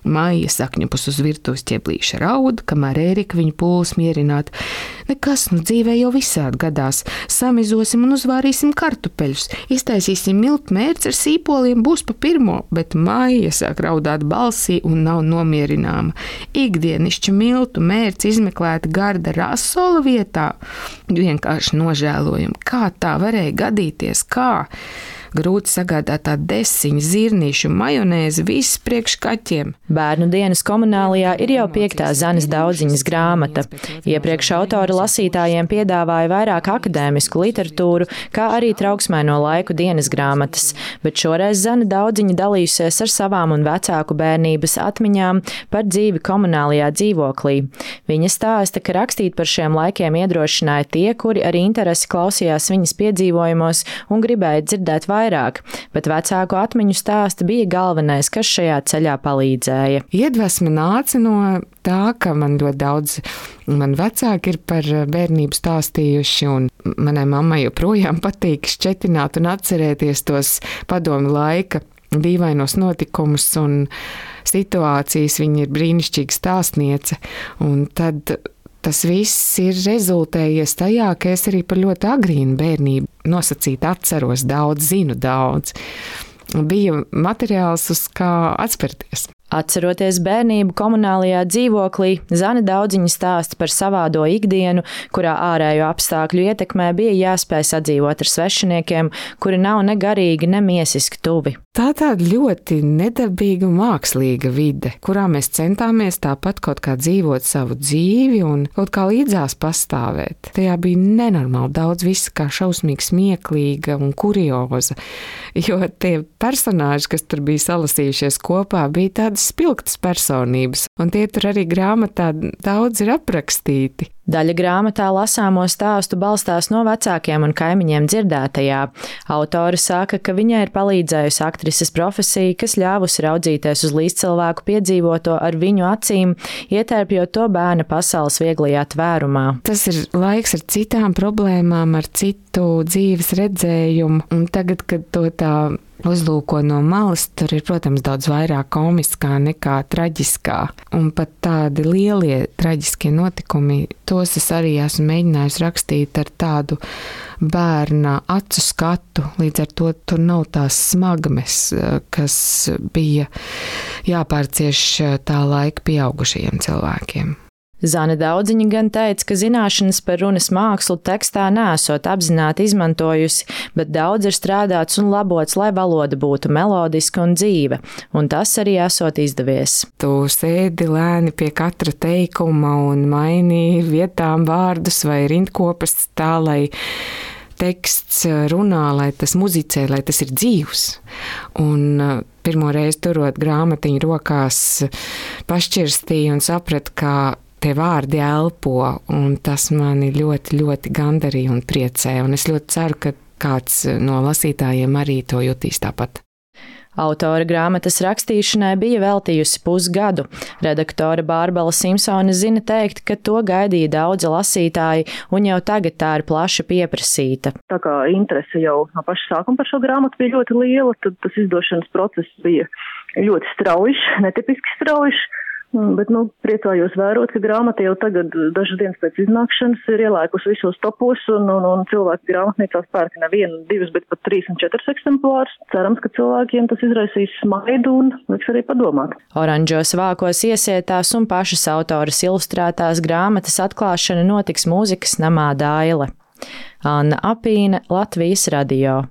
Maija sakņupus uz virtuves ķeblīša raud, kamēr Ērika viņu pūles mierināt. Nekas, dzīvē jau visādi gadās. Samizosim un uzvārīsim kartupeļus, iztaisīsim miltu mērci ar sīpoliem, būs pa pirmo, bet Maija sāk raudāt balsī un nav nomierināma. Ikdienišķa miltu mērci izmeklēta garda rasola vietā. Vienkārši nožēlojam, kā tā varēja gadīties, kā? Grūti sagādātā desiņa, zirnīšu, majonēzi, viss priekš kaķiem. Bērnu dienas komunālijā ir jau 5. Zanes Daudziņas grāmata. Iepriekš autori lasītājiem piedāvāja vairāk akadēmisku literatūru, kā arī trauksmaino laiku dienas grāmatas, bet šoreiz Zane Daudziņa dalījusies ar savām un vecāku bērnības atmiņām par dzīvi komunālijā dzīvoklī. Viņa stāsta, ka rakstīt par šiem laikiem iedrošināja tie, kuri ar interesi klausījās viņas piedzīvojumos un gribēja dzirdēt vairāk, bet vecāku atmiņu stāsti bija galvenais, kas šajā ceļā palīdzēja. Iedvesma nāca no tā, ka man ļoti daudz mani vecāki ir par bērnību stāstījuši, un manai mammai joprojām patīk šķetināt un atcerēties tos padomu laika dīvainos notikumus un situācijas. Viņa ir brīnišķīga stāstniece, un tad tas viss ir rezultējies tajā, ka es arī par ļoti agrīnu bērnību nosacīti atceros daudz, zinu daudz. Bija materiāls, uz kā atspērties. Atceroties bērnību komunālajā dzīvoklī, Zane Daudziņa stāsta par savādo ikdienu, kurā ārējo apstākļu ietekmē bija jāspēj sadzīvot ar svešiniekiem, kuri nav ne garīgi, ne miesiski tuvi. Tā tāda ļoti nedabīga mākslīga vide, kurā mēs centāmies tāpat kaut kā dzīvot savu dzīvi un kaut kā līdzās pastāvēt. Tajā bija nenormāli daudz visa kā šausmīgi smieklīga un kurioza, jo tie personāži, kas tur bija salasījušies kopā, bija tādas spilgtas personības, un tie tur arī grāmatā daudz ir aprakstīti. Daļa grāmatā lasāmo stāstu balstās no vecākiem un kaimiņiem dzirdētajā. Autori saka, ka viņai ir palīdzējusi aktrises profesija, kas ļāvusi raudzīties uz līdzcilvēku piedzīvoto ar viņu acīm, ietērpjot to bērna pasaules vieglajā tvērumā. Tas ir laiks ar citām problēmām, ar citu dzīves redzējumu, un tagad, kad to tā uzlūko no malas, tur ir, protams, daudz vairāk komiskā nekā traģiskā. Un pat tādi lielie traģiskie notikumi, tos es arī esmu mēģinājusi rakstīt ar tādu bērna acu skatu. Līdz ar to tur nav tās smagmes, kas bija jāpārcieš tā laika pieaugušajiem cilvēkiem. Zane Daudziņa gan teica, ka zināšanas par runas mākslu tekstā nesot apzināti izmantojusi, bet daudz ir strādāts un labots, lai valoda būtu melodiska un dzīva, un tas arī esot izdevies. Tu sēdi lēni pie katra teikuma un maini vietām vārdus vai rindkopas tā, lai teksts runā, lai tas muzicē, lai tas ir dzīvs. Un pirmo reizi turot grāmatiņu rokās pašķirstīju un sapratu, ka tie vārdi elpo, un tas mani ļoti, ļoti gandarīja un priecē, un es ļoti ceru, ka kāds no lasītājiem arī to jutīs tāpat. Autora grāmatas rakstīšanai bija veltījusi pusgadu. Redaktore Bārbela Simpsone zina teikt, ka to gaidīja daudzi lasītāji, un jau tagad tā ir plaši pieprasīta. Tā kā interese jau no paša sākuma par šo grāmatu bija ļoti liela, tad tas izdošanas process bija ļoti straujš, netipiski straujš. Bet, priecājos vērot, ka grāmata jau tagad, dažas dienas pēc iznākšanas, ir ielēkusi visos topos, un cilvēki grāmatnīcās pērk ne 1, 2, bet pat 3 un 4 eksemplārus. Cerams, ka cilvēkiem tas izraisīs smaidu un liks arī padomāt. Oranžos vākos iesietās un pašas autoras ilustrētās grāmatas atklāšana notiks mūzikas namā Daile. Anna Apīne, Latvijas radio.